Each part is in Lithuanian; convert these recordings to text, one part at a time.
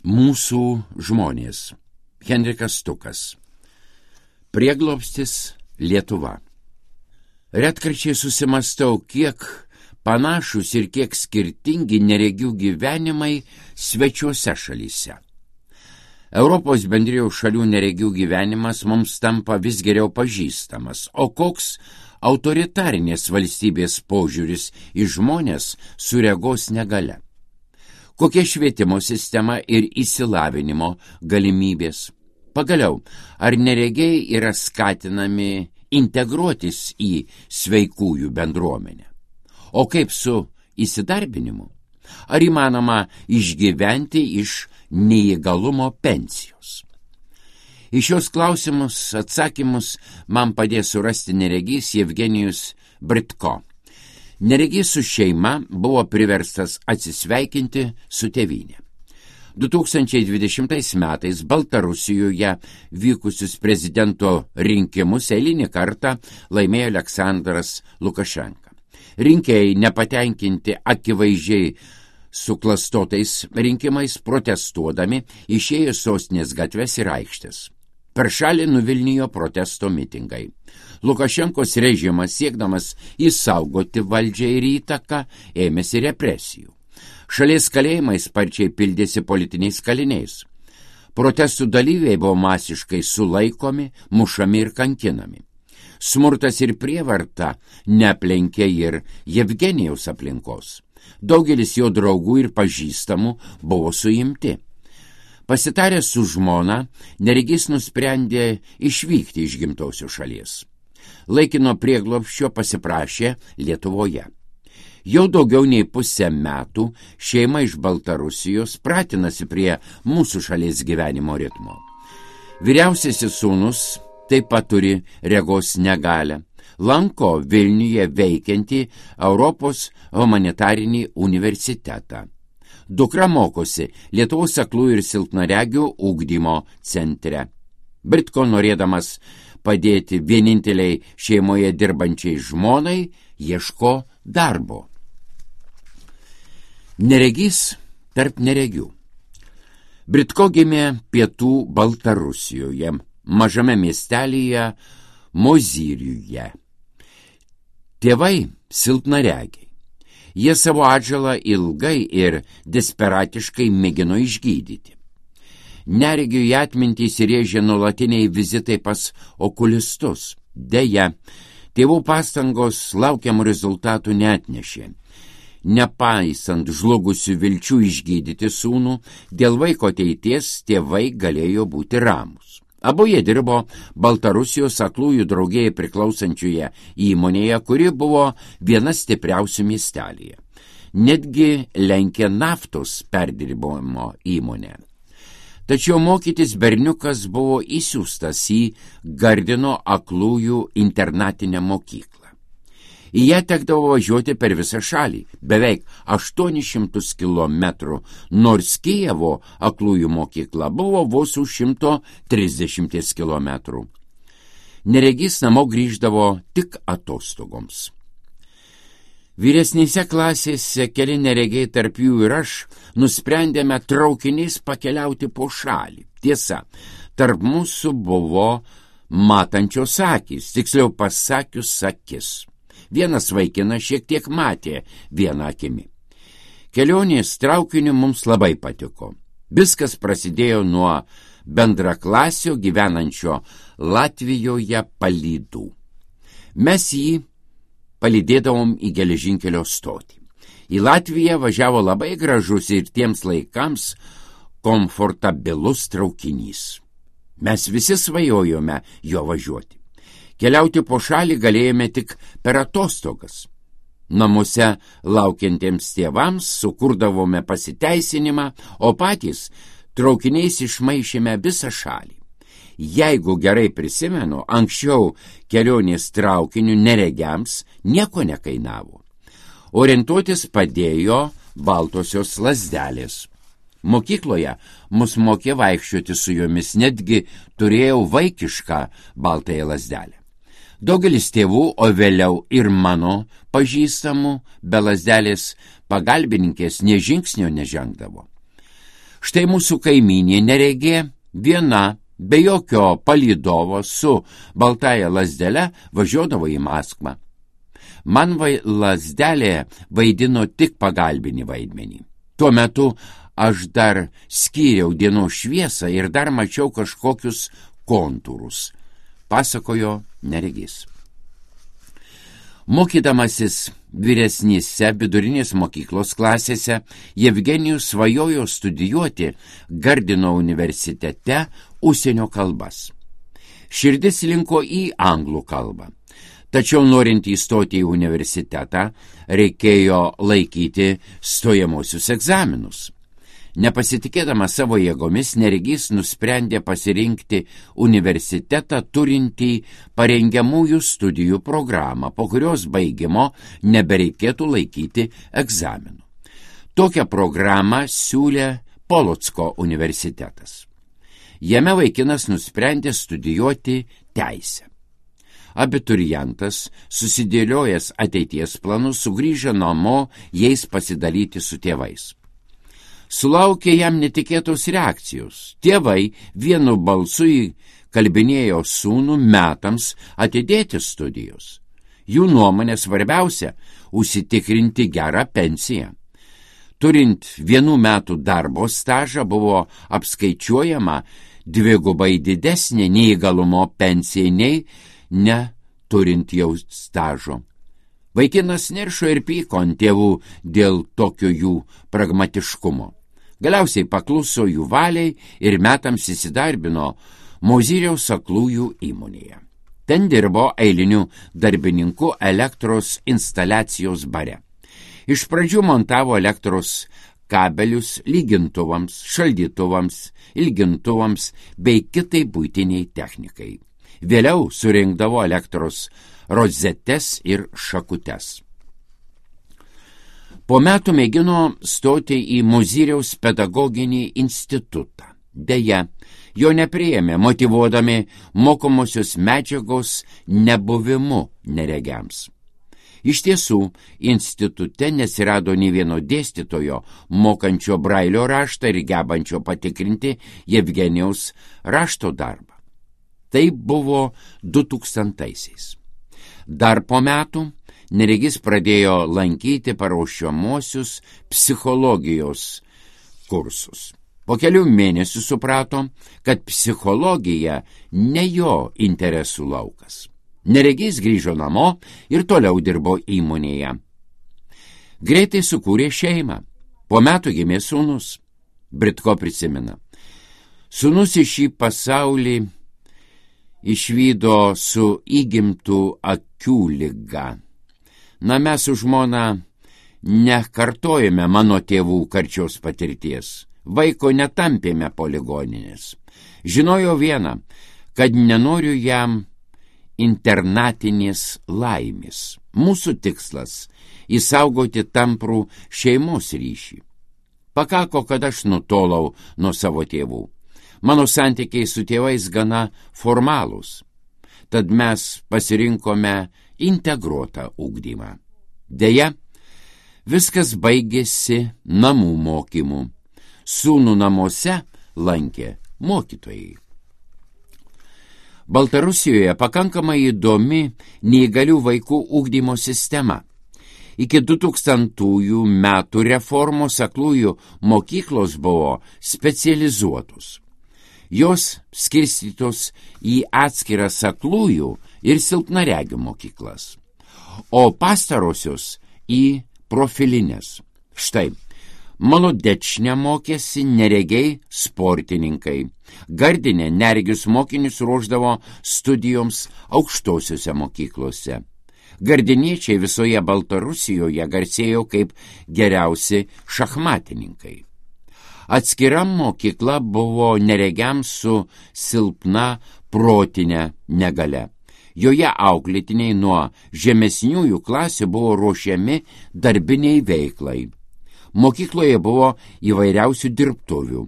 Mūsų žmonės. Henrikas Stukas. Prieglobstis Lietuva. Retkarčiai susimastau, kiek panašus ir kiek skirtingi neregių gyvenimai svečiuose šalyse. Europos bendrijų šalių neregių gyvenimas mums tampa vis geriau pažįstamas, o koks autoritarinės valstybės požiūris į žmonės su regos negalia. Kokia švietimo sistema ir išsilavinimo galimybės. Pagaliau, ar neregiai yra skatinami integruotis į sveikųjų bendruomenę? O kaip su įsidarbinimu? Ar įmanoma išgyventi iš neįgalumo pensijos? Į šios klausimus atsakymus man padės surasti neregys Jevgenijus Britko. Neregys su šeima buvo priverstas atsisveikinti su tėvynė. 2020 metais Baltarusijoje vykusius prezidento rinkimus eilinį kartą laimėjo Aleksandras Lukašenka. Rinkėjai, nepatenkinti akivaizdžiai suklastotais rinkimais, protestuodami išėjo sostinės gatves ir aikštės. Per šalį nuvilnijo protesto mitingai. Lukašenkos režimas, siekdamas išsaugoti valdžią ir įtaką, ėmėsi represijų. Šalies kalėjimai sparčiai pildėsi politiniais kaliniais. Protestų dalyviai buvo masiškai sulaikomi, mušami ir kankinami. Smurtas ir prievarta neaplenkė ir Jevgenijaus aplinkos. Daugelis jo draugų ir pažįstamų buvo suimti. Pasitaręs su žmona, neregys nusprendė išvykti iš gimtosios šalies. Laikino prieglobsčio pasiprašė Lietuvoje. Jau daugiau nei pusę metų šeima iš Baltarusijos pratinasi prie mūsų šalies gyvenimo ritmo. Vyriausiasis sūnus taip pat turi regos negalią. Lanko Vilniuje veikiantį Europos humanitarinį universitetą. Dukra mokosi Lietuvos aklųjų ir silpnaregių ugdymo centre. Britko, norėdamas padėti vieninteliai šeimoje dirbančiai žmonai, ieško darbo. Neregys tarp neregių. Britko gimė pietų Baltarusijoje, mažame miestelyje Mozyriuje. Tėvai silpnaregiai. Jie savo atžalą ilgai ir desperatiškai mėgino išgydyti. Neregiui atmintį įsirėžė nuolatiniai vizitai pas okulistus. Deja, tėvų pastangos laukiamų rezultatų neatnešė. Nepaisant žlugusių vilčių išgydyti sūnų, dėl vaiko ateities tėvai galėjo būti ramūs. Abu jie dirbo Baltarusijos aklųjų draugijai priklausančioje įmonėje, kuri buvo viena stipriausių miestelyje. Netgi lenkė naftos perdirbimo įmonę. Tačiau mokytis berniukas buvo įsiųstas į Gardino aklųjų internatinę mokyklą. Į ją tekdavo važiuoti per visą šalį, beveik 800 kilometrų, nors Kijevo aklųjų mokykla buvo vos už 130 kilometrų. Neregys namo grįždavo tik atostogoms. Vyresnėse klasėse keli neregiai, tarp jų ir aš, nusprendėme traukiniais pakeliauti po šalį. Tiesa, tarp mūsų buvo matančios akys, tiksliau pasakius akis. Vienas vaikinas šiek tiek matė vieną akimi. Kelionės traukiniu mums labai patiko. Viskas prasidėjo nuo bendraklasio gyvenančio Latvijoje palydų. Mes jį palydėdavom į geležinkelio stotį. Į Latviją važiavo labai gražus ir tiems laikams komfortabilus traukinys. Mes visi svajojome jo važiuoti. Keliauti po šalį galėjome tik per atostogas. Namuose laukiantiems tėvams sukurdavome pasiteisinimą, o patys traukiniais išmaišėme visą šalį. Jeigu gerai prisimenu, anksčiau kelionės traukiniu neregiams nieko nekainavo. Orientuotis padėjo baltosios lazdelės. Mokykloje mus mokė vaikščioti su jomis, netgi turėjau vaikišką baltąją lazdelę. Daugelis tėvų, o vėliau ir mano pažįstamų, be lazdelės pagalbininkės nė žingsnio nežengdavo. Štai mūsų kaimynė neregė viena, be jokio palydovo su baltąja lazdele važiuodavo į Maskvą. Man lazdelė vaidino tik pagalbinį vaidmenį. Tuo metu aš dar skyriau dienos šviesą ir dar mačiau kažkokius kontūrus, pasakojo neregys. Mokydamasis vyresnėse vidurinės mokyklos klasėse, Jevgenijus svajojo studijuoti Gardino universitete užsienio kalbas. Širdis linko į anglų kalbą. Tačiau norint įstoti į universitetą, reikėjo laikyti stojamosius egzaminus. Nepasitikėdamas savo jėgomis, neregys nusprendė pasirinkti universitetą turintį parengiamųjų studijų programą, po kurios baigimo nebereikėtų laikyti egzaminų. Tokią programą siūlė Polocko universitetas. Jame vaikinas nusprendė studijuoti teisę. Abiturientas, susidėliojęs ateities planus, sugrįžo namo jais pasidalyti su tėvais. Sulaukė jam netikėtos reakcijos. Tėvai vienu balsu įkalbinėjo sūnų metams atidėti studijos. Jų nuomonė svarbiausia – užsitikrinti gerą pensiją. Turint 1 metų darbo stažą buvo apskaičiuojama dvigubai didesnė neįgalumo pensija nei neturint jau stažo. Vaikinas niršo ir pyko ant tėvų dėl tokio jų pragmatiškumo. Galiausiai pakluso jų valiai ir metams įsidarbino Mozyriaus aklųjų įmonėje. Ten dirbo eiliniu darbininku elektros instaliacijos bare. Iš pradžių montavo elektros kabelius lygintuvams, šaldytuvams, ilgintuvams bei kitai buitiniai technikai. Vėliau surinkdavo elektros rozetes ir šakutes. Po metų mėgino stoti į Mozyriaus pedagoginį institutą. Deja, jo nepriėmė, motyvuodami mokomosios medžiagos nebuvimu neregiams. Iš tiesų, institute nesirado nei vieno dėstytojo, mokančio Brailio raštą ir gebančio patikrinti Jevgenijaus rašto darbą. Tai buvo 2000-aisiais. Dar po metų neregys pradėjo lankyti paruošiamuosius psichologijos kursus. Po kelių mėnesių suprato, kad psichologija ne jo interesų laukas. Neregys grįžo namo ir toliau dirbo įmonėje. Greitai sukūrė šeimą. Po metų gimė sūnus. Britko prisimena. Sūnus į šį pasaulį išvydo su įgimtų akių liga. Na, mes su žmona nekartojame mano tėvų karčios patirties. Vaiko netampėme po ligoninės. Žinojo vieną, kad nenoriu jam internatinės laimės. Mūsų tikslas – įsaugoti tamprų šeimos ryšį. Pakako, kad aš nutolau nuo savo tėvų. Mano santykiai su tėvais gana formalūs. Tad mes pasirinkome integruotą ugdymą. Deja, viskas baigėsi namų mokymu. Sūnų namuose lankė mokytojai. Baltarusijoje pakankamai įdomi neįgalių vaikų ugdymo sistema. Iki 2000 metų reformos aklųjų mokyklos buvo specializuotos. Jos skirstytos į atskiras aklųjų ir silpnaregių mokyklas, o pastarosios į profilinės. Štai, Molodečne mokėsi neregiai sportininkai. Gardine neregius mokinius ruošdavo studijoms aukštosiuose mokyklose. Gardiniečiai visoje Baltarusijoje garsėjo kaip geriausi šachmatininkai. Atskira mokykla buvo neregiams su silpna protinė negale. Joje auklėtiniai nuo žemesniųjų klasių buvo ruošiami darbiniai veiklai. Mokykloje buvo įvairiausių dirbtuvių.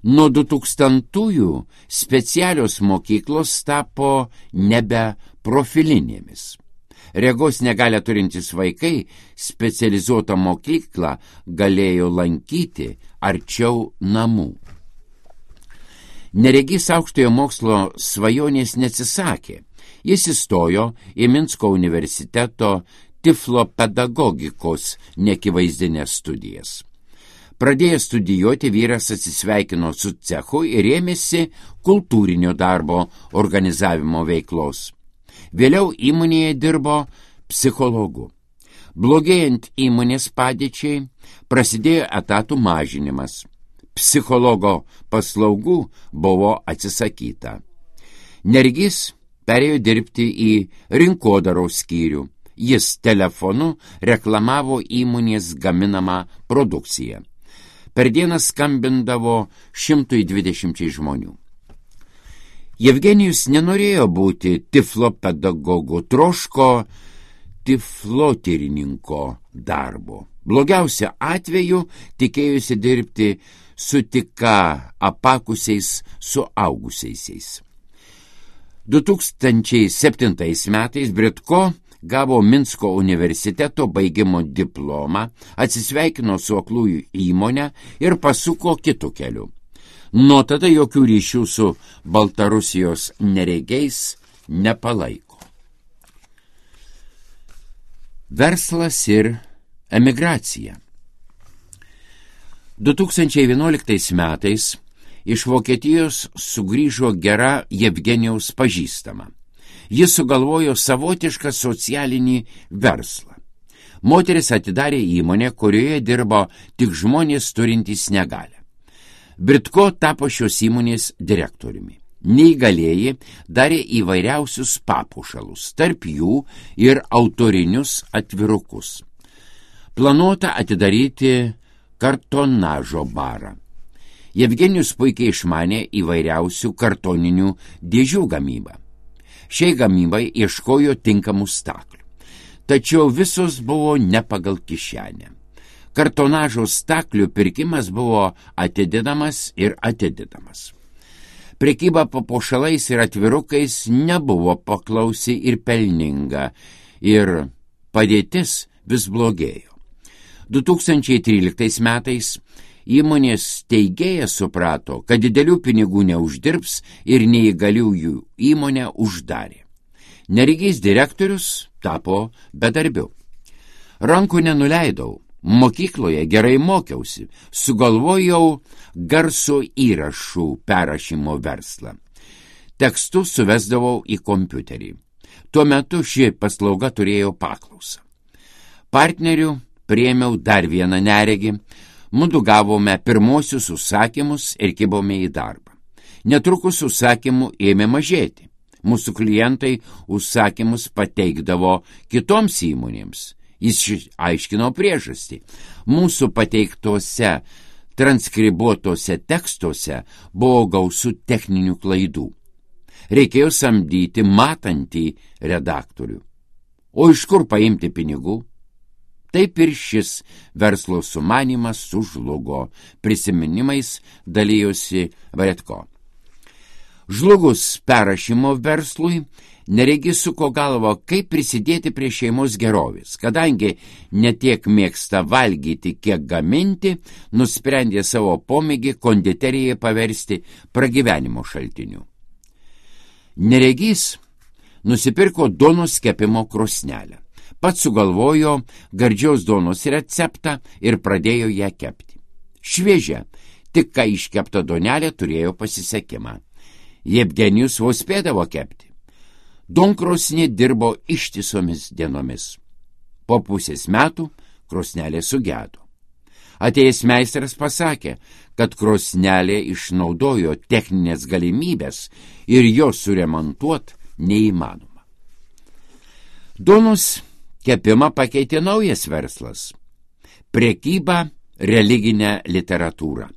Nuo 2000-ųjų specialios mokyklos tapo nebe profilinėmis. Regos negalią turintys vaikai specializuotą mokyklą galėjo lankyti arčiau namų. Neregys aukštojo mokslo svajonės neatsisakė. Jis įstojo į Minsko universiteto tiflopedagogikos neakivaizdinės studijas. Pradėjęs studijuoti, vyras atsisveikino su cechu ir ėmėsi kultūrinio darbo organizavimo veiklos. Vėliau įmonėje dirbo psichologu. Blogėjant įmonės padėčiai, prasidėjo etatų mažinimas. Psichologo paslaugų buvo atsisakyta. Neregys perėjo dirbti į rinkodaros skyrių. Jis telefonu reklamavo įmonės gaminamą produkciją. Per dieną skambindavo 120 žmonių. Jevgenijus nenorėjo būti tiflopedagogu, troško tiflotyrininko darbo. Blogiausia atveju tikėjusi dirbti su tik apakusiais suaugusiaisiais. 2007 metais Britko gavo Minsko universiteto baigimo diplomą, atsisveikino su aklųjų įmonę ir pasuko kitų kelių. Nuo tada jokių ryšių su Baltarusijos neregiais nepalaiko. Verslas ir emigracija. 2011 metais iš Vokietijos sugrįžo gera Jevgenijaus pažįstama. Jis sugalvojo savotišką socialinį verslą. Moteris atidarė įmonę, kurioje dirbo tik žmonės turintys negalią. Britko tapo šios įmonės direktoriumi. Neįgalieji darė įvairiausius papuošalus, tarp jų ir autorinius atvirukus. Planuota atidaryti kartonažo barą. Jevgenijus puikiai išmanė įvairiausių kartoninių dėžių gamybą. Šiai gamybai ieškojo tinkamų staklių. Tačiau visos buvo ne pagal kišenę. Kartonažo staklių pirkimas buvo atidedamas ir atidedamas. Prekyba papuošalais ir atvirukais nebuvo paklausi ir pelninga, ir padėtis vis blogėjo. 2013 metais įmonės steigėjas suprato, kad didelių pinigų neuždirbs ir neįgaliųjų įmonę uždarė. Neregys direktorius tapo bedarbiu. Rankų nenuleidau, mokykloje gerai mokiausi, sugalvojau garso įrašų perrašymo verslą. Tekstus suvesdavau į kompiuterį. Tuo metu ši paslauga turėjo paklausą. Partnerių priėmiau dar vieną neregį. Mudu gavome pirmosius užsakymus ir kibome į darbą. Netrukus užsakymų ėmė mažėti. Mūsų klientai užsakymus pateikdavo kitoms įmonėms. Jis aiškino priežastį. Mūsų pateiktose transkribuotose tekstuose buvo gausu techninių klaidų. Reikėjo samdyti matantį redaktorių. O iš kur paimti pinigų? Taip ir šis verslo sumanymas sužlugo. Prisiminimais dalijosi Bretko. Žlugus perrašymo verslui, neregys suko galvo, kaip prisidėti prie šeimos gerovės. Kadangi netiek mėgsta valgyti, kiek gaminti, nusprendė savo pomėgį konditeriją paversti pragyvenimo šaltiniu. Neregys nusipirko duonos kepimo krosnelę. Pats sugalvojo gardžios duonos receptą ir pradėjo ją kepti. Šviežia, tik ką iškepta duonelė turėjo pasisekimą. Jevgenijus vos spėdavo kepti. Duonkrosnė dirbo ištisomis dienomis. Po pusės metų krosnelė sugedo. Atėjęs meistras pasakė, kad krosnelė išnaudojo techninės galimybės ir jos suremontuot neįmanoma. Duonos kepimą pakeitė naujas verslas – prekyba religinę literatūrą.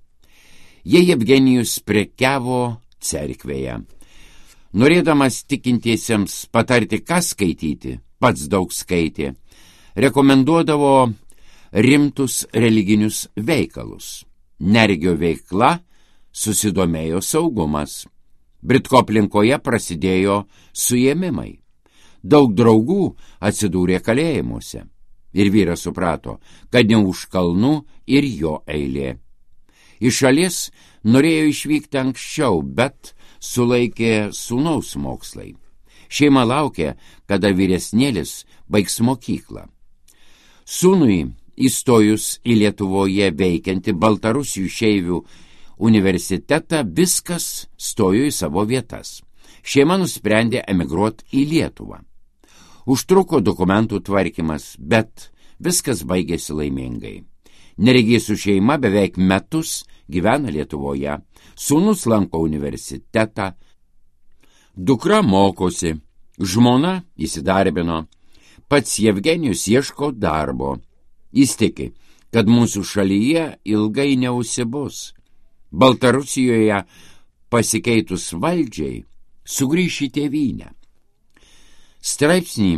Jie Jevgenijus prekiavo cerkvėje. Norėdamas tikintiesiems patarti, ką skaityti, pats daug skaitė, rekomenduodavo rimtus religinius veikalus. Neregio veikla susidomėjo saugumas. Britko aplinkoje prasidėjo suėmimai. Daug draugų atsidūrė kalėjimuose. Ir vyras suprato, kad ne už kalnų ir jo eilė. Iš šalies norėjo išvykti anksčiau, bet sulaikė sūnaus mokslai. Šeima laukė, kada vyresnėlis baigs mokyklą. Sūnui įstojus į Lietuvoje veikiantį Baltarusių išeivių universitetą, viskas stojo į savo vietas. Šeima nusprendė emigruoti į Lietuvą. Užtruko dokumentų tvarkymas, bet viskas baigėsi laimingai. Neregys su šeima beveik metus gyvena Lietuvoje, sūnus lanko universitetą, dukra mokosi, žmona įsidarbino, pats Jevgenijus ieško darbo. Jis tiki, kad mūsų šalyje ilgai neusibus. Baltarusijoje pasikeitus valdžiai sugrįš į tėvynę. Straipsnį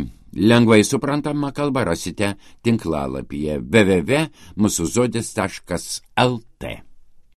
lengvai suprantama kalba rasite tinklalapyje www.musuzodis.lt.